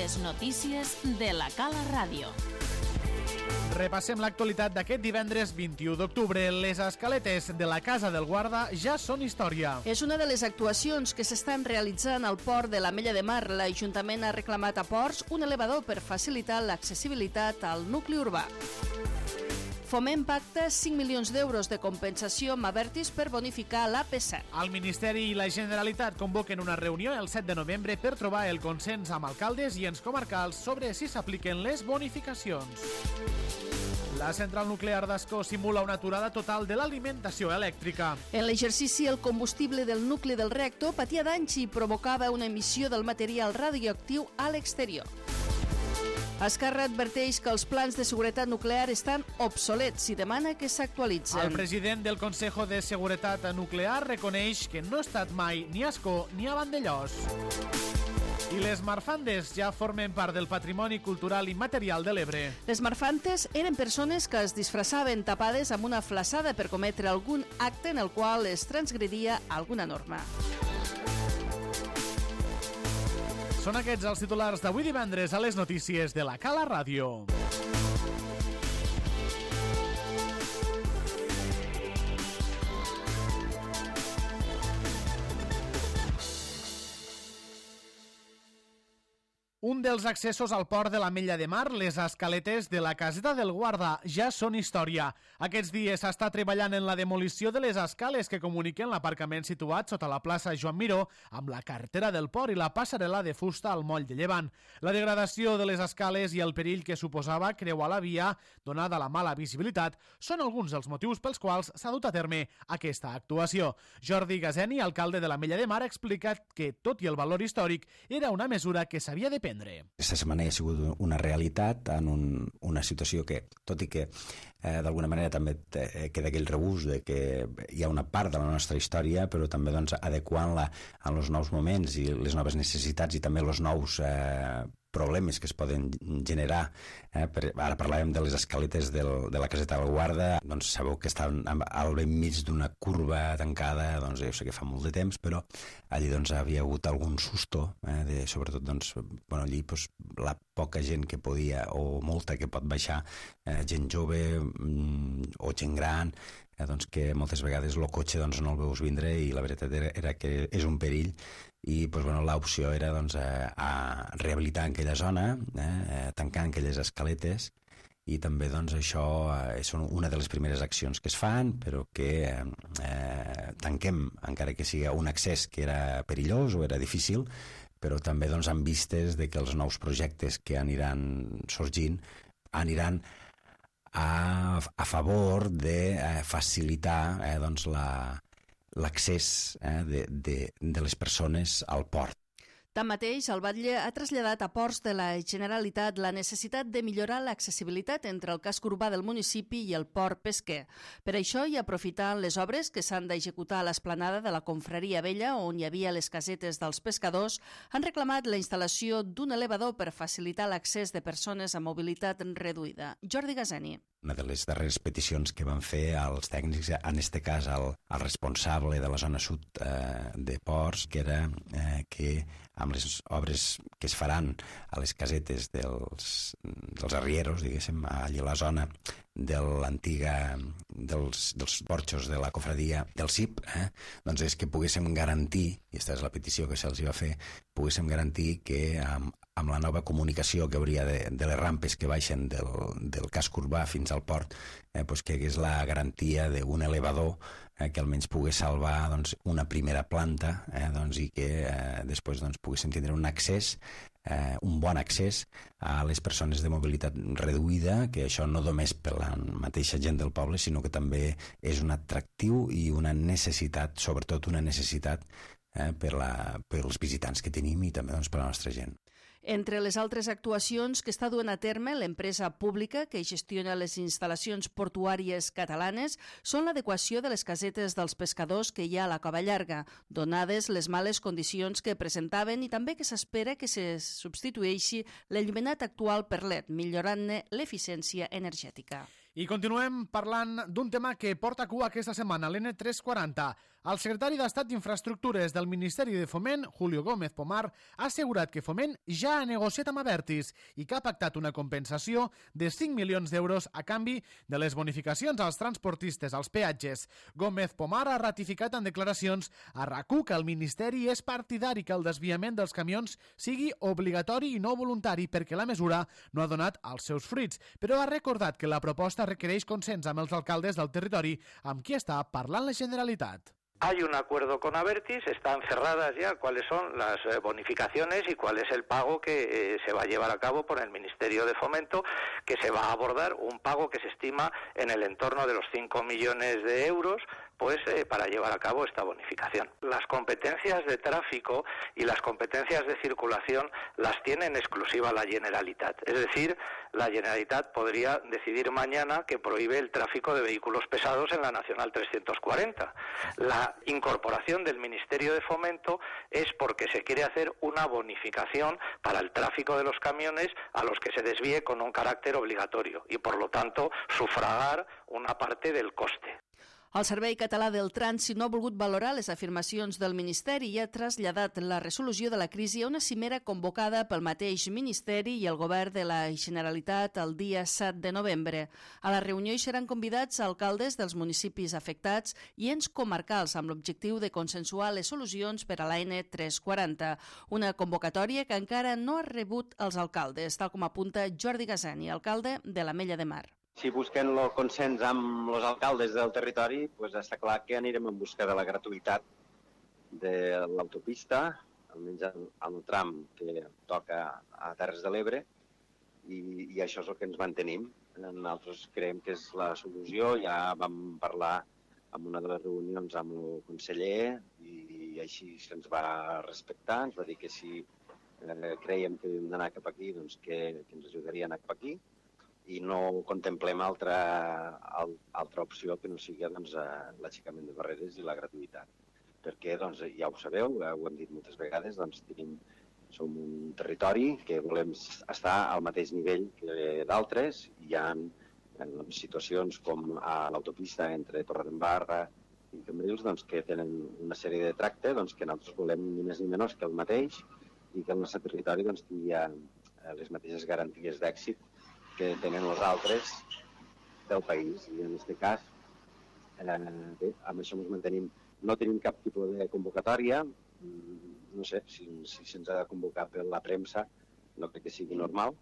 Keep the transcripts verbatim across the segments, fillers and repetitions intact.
Les notícies de la Cala Ràdio. Repassem l'actualitat d'aquest divendres vint-i-u d'octubre. Les escaletes de la Casa del Guarda ja són història. És una de les actuacions que s'estan realitzant al port de l'Ametlla de Mar. L'Ajuntament ha reclamat a Ports un elevador per facilitar l'accessibilitat al nucli urbà. Foment pacta cinc milions d'euros de compensació amb Abertis per bonificar l'A P set. El Ministeri i la Generalitat convoquen una reunió el set de novembre per trobar el consens amb alcaldes i ens comarcals sobre si s'apliquen les bonificacions. La central nuclear d'Ascó simula una aturada total de l'alimentació elèctrica. En l'exercici, el combustible del nucli del reactor patia danys i provocava una emissió del material radioactiu a l'exterior. Esquerra adverteix que els plans de seguretat nuclear estan obsolets i demana que s'actualitzen. El president del Consejo de Seguretat Nuclear reconeix que no ha estat mai ni a Ascó ni a Vandellòs. I les marfandes ja formen part del patrimoni cultural immaterial de l'Ebre. Les marfantes eren persones que es disfressaven tapades amb una flassada per cometre algun acte en el qual es transgredia alguna norma. Són aquests els titulars d'avui divendres a les notícies de la Cala Ràdio. Un dels accessos al port de l'Ametlla de Mar, les escaletes de la Caseta del Guarda, ja són història. Aquests dies s'està treballant en la demolició de les escales que comuniquen l'aparcament situat sota la plaça Joan Miró amb la carretera del port i la passarel·la de fusta al moll de Llevant. La degradació de les escales i el perill que suposava creuar la via, donada la mala visibilitat, són alguns dels motius pels quals s'ha dut a terme aquesta actuació. Jordi Gazeni, alcalde de l'Ametlla de Mar, ha explicat que, tot i el valor històric, era una mesura que s'havia de prendre. Aquesta setmana ha sigut una realitat en un, una situació que, tot i que eh, d'alguna manera també queda aquell regust de que hi ha una part de la nostra història, però també doncs, adequant-la als nous moments i les noves necessitats i també els nous eh, problemes que es poden generar. Eh, per, ara parlàvem de les escaletes del, de la Caseta del Guarda, doncs sabeu que estan al ben mig d'una curva tancada, doncs jo sé que fa molt de temps, però allí doncs havia hagut algun susto, eh, de, sobretot doncs, bueno, allí doncs, la poca gent que podia, o molta que pot baixar, eh, gent jove mm, o gent gran, eh, doncs que moltes vegades el cotxe doncs, no el veus vindre i la veritat era, era que és un perill i doncs, bueno, l'opció era doncs, a, a rehabilitar aquella zona, eh, tancant aquelles escaletes i també doncs, això eh, són una de les primeres accions que es fan, però que eh, tanquem, encara que sigui un accés que era perillós o era difícil, però també doncs, amb vistes de que els nous projectes que aniran sorgint aniran a, a favor de eh, facilitar eh, doncs, la l'accés eh, de, de, de les persones al port. Tanmateix, el batlle ha traslladat a Ports de la Generalitat la necessitat de millorar l'accessibilitat entre el casc urbà del municipi i el port pesquer. Per això, i aprofitant les obres que s'han d'executar a l'esplanada de la Confraria Vella, on hi havia les casetes dels pescadors, han reclamat la instal·lació d'un elevador per facilitar l'accés de persones amb mobilitat reduïda. Jordi Gazeni. Una de les darreres peticions que van fer als tècnics, en este cas al, al responsable de la zona sud eh, de Ports, que era eh, que amb les obres que es faran a les casetes dels, dels arrieros, diguéssim, allà a la zona de l'antiga, dels, dels porxos de la cofradia del C I P, eh, doncs és que poguéssim garantir, i aquesta és la petició que se'ls va fer, poguéssim garantir que amb, amb la nova comunicació que hauria de, de les rampes que baixen del, del casc urbà fins al port, eh, doncs que hagués la garantia d'un elevador eh, que almenys pogués salvar doncs, una primera planta eh, doncs, i que eh, després doncs, poguéssim tindre un accés, eh, un bon accés a les persones de mobilitat reduïda, que això no només per la mateixa gent del poble, sinó que també és un atractiu i una necessitat, sobretot una necessitat eh, per, la, per els visitants que tenim i també doncs, per la nostra gent. Entre les altres actuacions que està duent a terme l'empresa pública que gestiona les instal·lacions portuàries catalanes són l'adequació de les casetes dels pescadors que hi ha a la Cova Llarga, donades les males condicions que presentaven i també que s'espera que se substitueixi l'enllumenat actual per L E D, millorant-ne l'eficiència energètica. I continuem parlant d'un tema que porta cua aquesta setmana, l'N tres quaranta. El secretari d'Estat d'Infraestructures del Ministeri de Foment, Julio Gómez Pomar, ha assegurat que Foment ja ha negociat amb Abertis i que ha pactat una compensació de cinc milions d'euros a canvi de les bonificacions als transportistes als peatges. Gómez Pomar ha ratificat en declaracions a RAC1 que el Ministeri és partidari que el desviament dels camions sigui obligatori i no voluntari perquè la mesura no ha donat els seus fruits, però ha recordat que la proposta requereix consens amb els alcaldes del territori amb qui està parlant la Generalitat. Hay un acuerdo con Abertis, están cerradas ya cuáles son las eh, bonificaciones y cuál es el pago que eh, se va a llevar a cabo por el Ministerio de Fomento, que se va a abordar un pago que se estima en el entorno de los cinco millones de euros, pues eh, para llevar a cabo esta bonificación. Las competencias de tráfico y las competencias de circulación las tiene en exclusiva la Generalitat. Es decir, la Generalitat podría decidir mañana que prohíbe el tráfico de vehículos pesados en la Nacional trescientos cuarenta. La incorporación del Ministerio de Fomento es porque se quiere hacer una bonificación para el tráfico de los camiones a los que se desvíe con un carácter obligatorio y, por lo tanto, sufragar una parte del coste. El Servei Català del Trànsit no ha volgut valorar les afirmacions del Ministeri i ha traslladat la resolució de la crisi a una cimera convocada pel mateix Ministeri i el Govern de la Generalitat el dia set de novembre. A la reunió hi seran convidats alcaldes dels municipis afectats i ens comarcals amb l'objectiu de consensuar les solucions per a la N tres quaranta, una convocatòria que encara no ha rebut els alcaldes, tal com apunta Jordi Gazani, alcalde de l'Ametlla de Mar. Si busquem el consens amb els alcaldes del territori, doncs està clar que anirem en busca de la gratuïtat de l'autopista, almenys al tram que toca a Terres de l'Ebre, i, i això és el que ens mantenim. Nosaltres creiem que és la solució, ja vam parlar en una de les reunions amb el conseller i així se'ns va respectar, ens va dir que si eh, creiem que hem d'anar cap aquí, doncs que, que ens ajudaria a anar cap aquí, i no contemplem altra, altra opció que no sigui doncs, l'aixecament de barreres i la gratuïtat. Perquè, doncs, ja ho sabeu, ho hem dit moltes vegades, doncs, tenim, som un territori que volem estar al mateix nivell que d'altres. Hi ha doncs, situacions com a l'autopista entre Torredembarra i Cambrils doncs, que tenen una sèrie de tracte doncs, que nosaltres volem ni més ni menys que el mateix i que el nostre territori doncs, tingui les mateixes garanties d'èxit que tenen els altres del país. I en aquest cas, eh, bé, amb això ens mantenim. No tenim cap tipus de convocatòria. No sé, si, si se'ns ha de convocar per la premsa, no crec que sigui normal,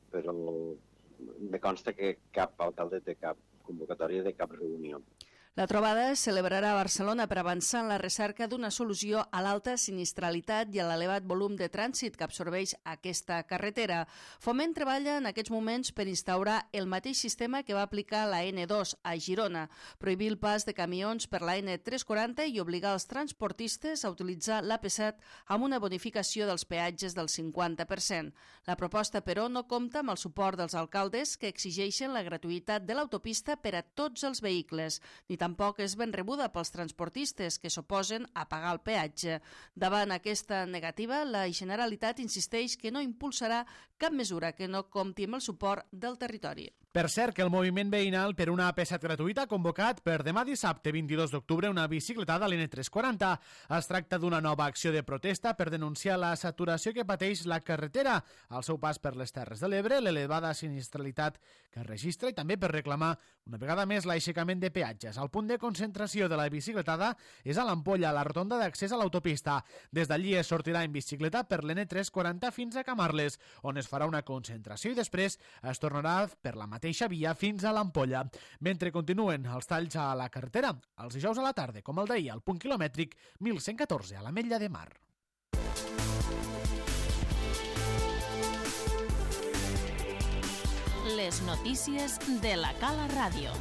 però me consta que cap alcalde té cap convocatòria de cap reunió. La trobada es celebrarà a Barcelona per avançar en la recerca d'una solució a l'alta sinistralitat i a l'elevat volum de trànsit que absorbeix aquesta carretera. Foment treballa en aquests moments per instaurar el mateix sistema que va aplicar la N dos a Girona, prohibir el pas de camions per la N tres quaranta i obligar els transportistes a utilitzar l'A P set amb una bonificació dels peatges del cinquanta per cent. La proposta, però, no compta amb el suport dels alcaldes que exigeixen la gratuïtat de l'autopista per a tots els vehicles, ni tampoc és ben rebuda pels transportistes que s'oposen a pagar el peatge. Davant aquesta negativa, la Generalitat insisteix que no impulsarà cap mesura que no compti amb el suport del territori. Per cert, que el moviment veïnal per una A P set gratuïta ha convocat per demà dissabte vint-i-dos d'octubre una bicicletada a l'N tres quaranta. Es tracta d'una nova acció de protesta per denunciar la saturació que pateix la carretera al seu pas per les Terres de l'Ebre, l'elevada sinistralitat que registra i també per reclamar una vegada més l'aixecament de peatges. El punt de concentració de la bicicletada és a l'Ampolla, a la rotonda d'accés a l'autopista. Des d'allí es sortirà en bicicleta per l'N tres quaranta fins a Camarles, on es farà una concentració i després es tornarà per la mateixa via fins a l'Ampolla. Mentre continuen els talls a la carretera, els dijous a la tarda, com el d'ahir, al punt quilomètric mil cent catorze a l'Ametlla de Mar. Les notícies de la Cala Ràdio.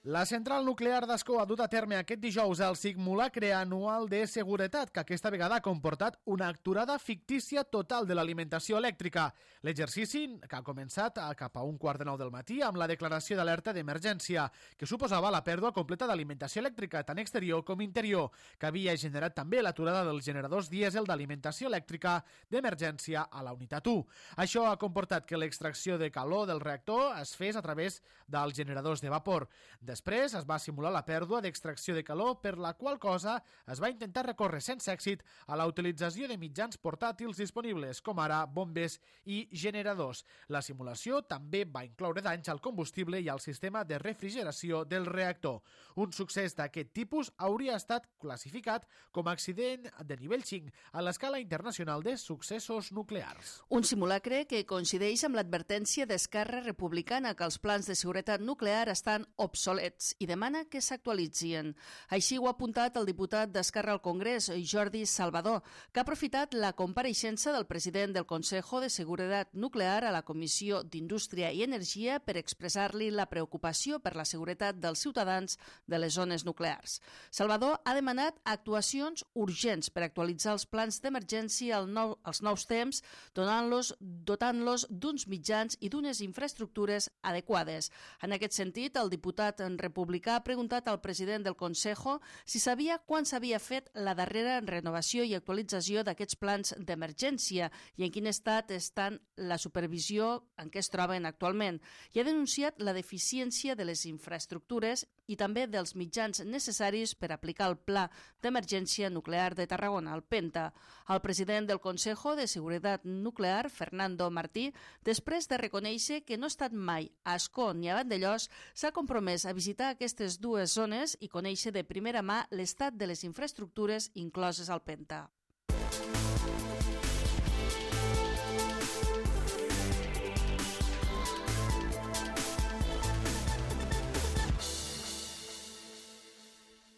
La central nuclear d'Ascó ha dut a terme aquest dijous el simulacre anual de seguretat, que aquesta vegada ha comportat una aturada fictícia total de l'alimentació elèctrica. L'exercici, que ha començat cap a un quart de nou del matí amb la declaració d'alerta d'emergència, que suposava la pèrdua completa d'alimentació elèctrica, tant exterior com interior, que havia generat també l'aturada dels generadors dièsel d'alimentació elèctrica d'emergència a la unitat u. Això ha comportat que l'extracció de calor del reactor es fes a través dels generadors de vapor. De Després es va simular la pèrdua d'extracció de calor, per la qual cosa es va intentar recórrer sense èxit a la utilització de mitjans portàtils disponibles, com ara bombes i generadors. La simulació també va incloure danys al combustible i al sistema de refrigeració del reactor. Un succés d'aquest tipus hauria estat classificat com a accident de nivell cinc a l'escala internacional de successos nuclears. Un simulacre que coincideix amb l'advertència d'Esquerra Republicana que els plans de seguretat nuclear estan obsolets i demana que s'actualitzin. Així ho ha apuntat el diputat d'Esquerra al Congrés, Jordi Salvador, que ha aprofitat la compareixença del president del Consejo de Seguretat Nuclear a la Comissió d'Indústria i Energia per expressar-li la preocupació per la seguretat dels ciutadans de les zones nuclears. Salvador ha demanat actuacions urgents per actualitzar els plans d'emergència als nous temps, donant-los, dotant-los d'uns mitjans i d'unes infraestructures adequades. En aquest sentit, el diputat en republicà ha preguntat al president del Consejo si sabia quan s'havia fet la darrera renovació i actualització d'aquests plans d'emergència i en quin estat estan la supervisió en què es troben actualment, i ha denunciat la deficiència de les infraestructures i també dels mitjans necessaris per aplicar el Pla d'Emergència Nuclear de Tarragona, el PENTA. El president del Consejo de Seguretat Nuclear, Fernando Martí, després de reconèixer que no ha estat mai a Ascó ni a Vandellòs, s'ha compromès a visitar aquestes dues zones i conèixer de primera mà l'estat de les infraestructures incloses al PENTA.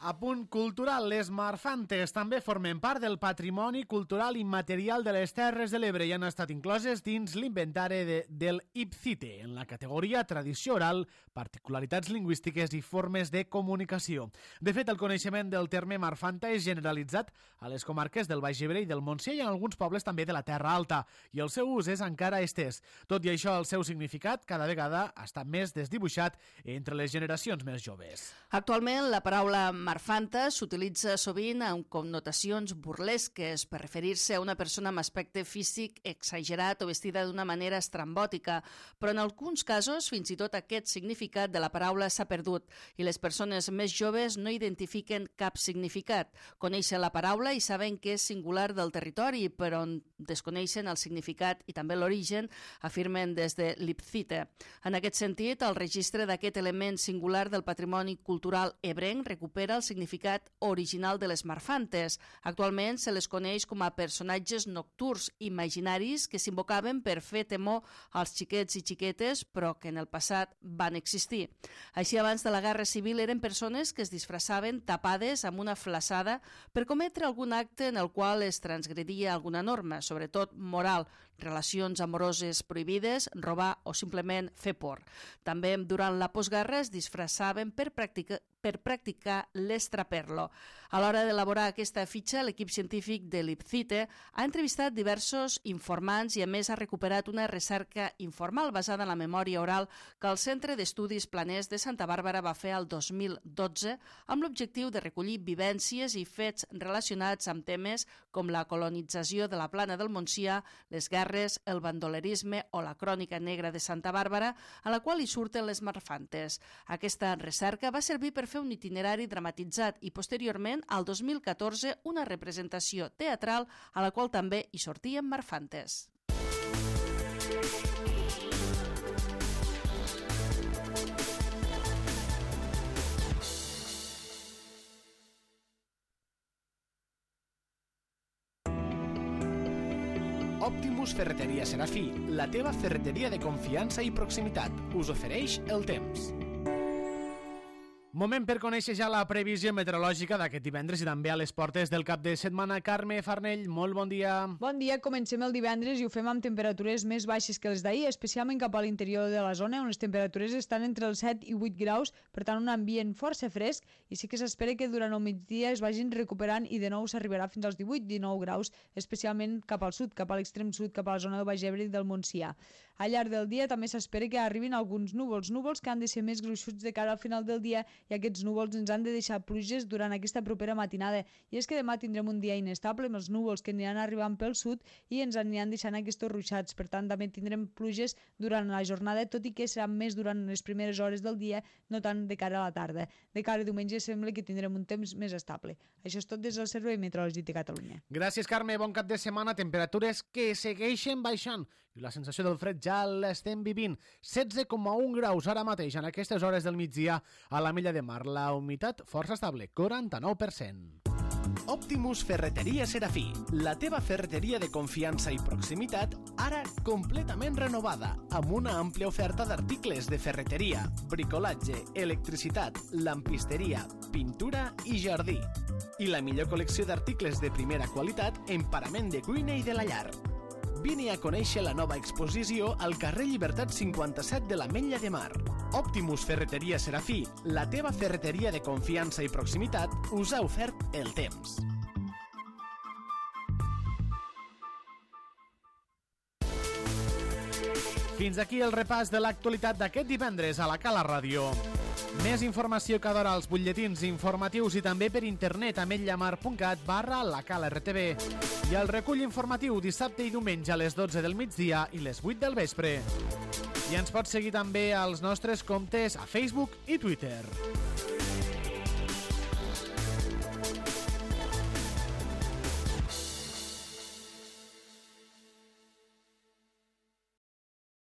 A punt cultural, les Marfantes també formen part del patrimoni cultural immaterial de les Terres de l'Ebre i han estat incloses dins l'inventari de, del IPCITE, en la categoria tradició oral, particularitats lingüístiques i formes de comunicació. De fet, el coneixement del terme Marfanta és generalitzat a les comarques del Baix Ebre i del Montsià i en alguns pobles també de la Terra Alta, i el seu ús és encara estès. Tot i això, el seu significat cada vegada està més desdibuixat entre les generacions més joves. Actualment, la paraula Marfanta s'utilitza sovint amb connotacions burlesques per referir-se a una persona amb aspecte físic exagerat o vestida d'una manera estrambòtica, però en alguns casos fins i tot aquest significat de la paraula s'ha perdut i les persones més joves no identifiquen cap significat. Coneixen la paraula i saben que és singular del territori, però desconeixen el significat i també l'origen, afirmen des de l'IPCITE. En aquest sentit, el registre d'aquest element singular del patrimoni cultural ebrenc recupera el significat original de les Marfantes. Actualment se les coneix com a personatges nocturns imaginaris que s'invocaven per fer temor als xiquets i xiquetes, però que en el passat van existir. Així, abans de la Guerra Civil eren persones que es disfressaven tapades amb una flaçada per cometre algun acte en el qual es transgredia alguna norma, sobretot moral, relacions amoroses prohibides, robar o simplement fer por. També durant la postguerra es disfressaven per practicar per practicar l'estraperlo. A l'hora d'elaborar aquesta fitxa, l'equip científic de l'IPCITE ha entrevistat diversos informants i a més ha recuperat una recerca informal basada en la memòria oral que el Centre d'Estudis Planers de Santa Bàrbara va fer el dos mil dotze amb l'objectiu de recollir vivències i fets relacionats amb temes com la colonització de la Plana del Montsià, les guerres, el bandolerisme o la crònica negra de Santa Bàrbara, a la qual hi surten les Marfantes. Aquesta recerca va servir per fer un itinerari dramatitzat i posteriorment, al dos mil catorze, una representació teatral a la qual també hi sortien Marfantes. Optimus Ferreteria Serafí, la teva ferreteria de confiança i proximitat, us ofereix el temps. Moment per conèixer ja la previsió meteorològica d'aquest divendres i també a les portes del cap de setmana. Carme Farnell, molt bon dia. Bon dia, comencem el divendres i ho fem amb temperatures més baixes que les d'ahir, especialment cap a l'interior de la zona, on les temperatures estan entre els set i vuit graus, per tant un ambient força fresc, i sí que s'espera que durant el migdia es vagin recuperant i de nou s'arribarà fins als divuit dinou graus, especialment cap al sud, cap a l'extrem sud, cap a la zona del Baix Ebre i del Montsià. Al llarg del dia també s'espera que arribin alguns núvols, núvols que han de ser més gruixuts de cara al final del dia i aquests núvols ens han de deixar pluges durant aquesta propera matinada. I és que demà tindrem un dia inestable amb els núvols que aniran arribant pel sud i ens aniran deixant aquests ruixats. Per tant, també tindrem pluges durant la jornada, tot i que serà més durant les primeres hores del dia, no tant de cara a la tarda. De cara a diumenge sembla que tindrem un temps més estable. Això és tot des del Servei Meteorològic de Catalunya. Gràcies, Carme. Bon cap de setmana. Temperatures que segueixen baixant i la sensació del fred ja l'estem vivint. setze coma un graus ara mateix en aquestes hores del migdia a l'Ametlla de Mar. La humitat força estable, quaranta-nou per cent. Optimus Ferreteria Serafí, la teva ferreteria de confiança i proximitat, ara completament renovada, amb una àmplia oferta d'articles de ferreteria, bricolatge, electricitat, lampisteria, pintura i jardí. I la millor col·lecció d'articles de primera qualitat en parament de cuina i de la llar. Vine a conèixer la nova exposició al carrer Llibertat cinquanta-set de l'Ametlla de Mar. Optimus Ferreteria Serafí, la teva ferreteria de confiança i proximitat, us ha ofert el temps. Fins aquí el repàs de l'actualitat d'aquest divendres a la Cala Ràdio. Més informació cada hora als butlletins informatius i també per internet a ametllamar.cat barra la Cala R T V. I el recull informatiu dissabte i diumenge a les dotze del migdia i les vuit del vespre. I ens pots seguir també als nostres comptes a Facebook i Twitter.